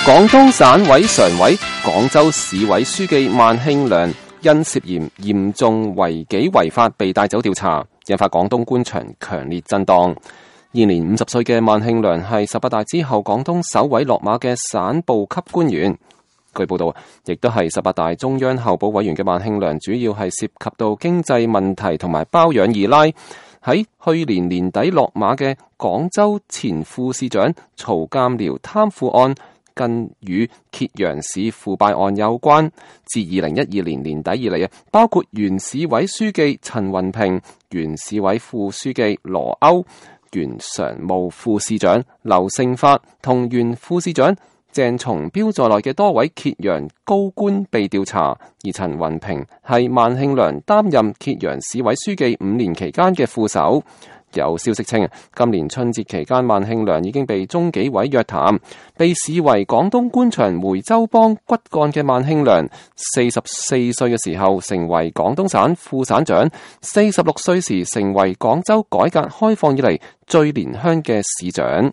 廣東省委常委、廣州市委書記萬慶良因涉嫌嚴重違紀違法被帶走調查，引發廣東官場強烈震盪。現年50歲嘅萬慶良係18大之後廣東首位落馬嘅省部級官員。據報道，亦都係18大中央候補委員嘅萬慶良，主要係涉及到經濟問題同埋包養二奶。喺去年年底落馬嘅廣州前副市長曹鑑寮貪腐案，更與揭陽市腐敗案有關。自2012年年底以嚟啊，包括原市委書記陳雲平、原市委副書記羅歐、原常務副市長劉勝發同原副市長鄭松標在內嘅多位揭陽高官被調查，而陳雲平係萬慶良擔任揭陽市委書記5年期間嘅副手。有消息稱，今年春節期間，萬慶良已經被中紀委約談。被視為廣東官場梅州幫骨幹嘅萬慶良，44歲嘅時候成為廣東省副省長，46歲時成為廣州改革開放以嚟最年輕嘅市長。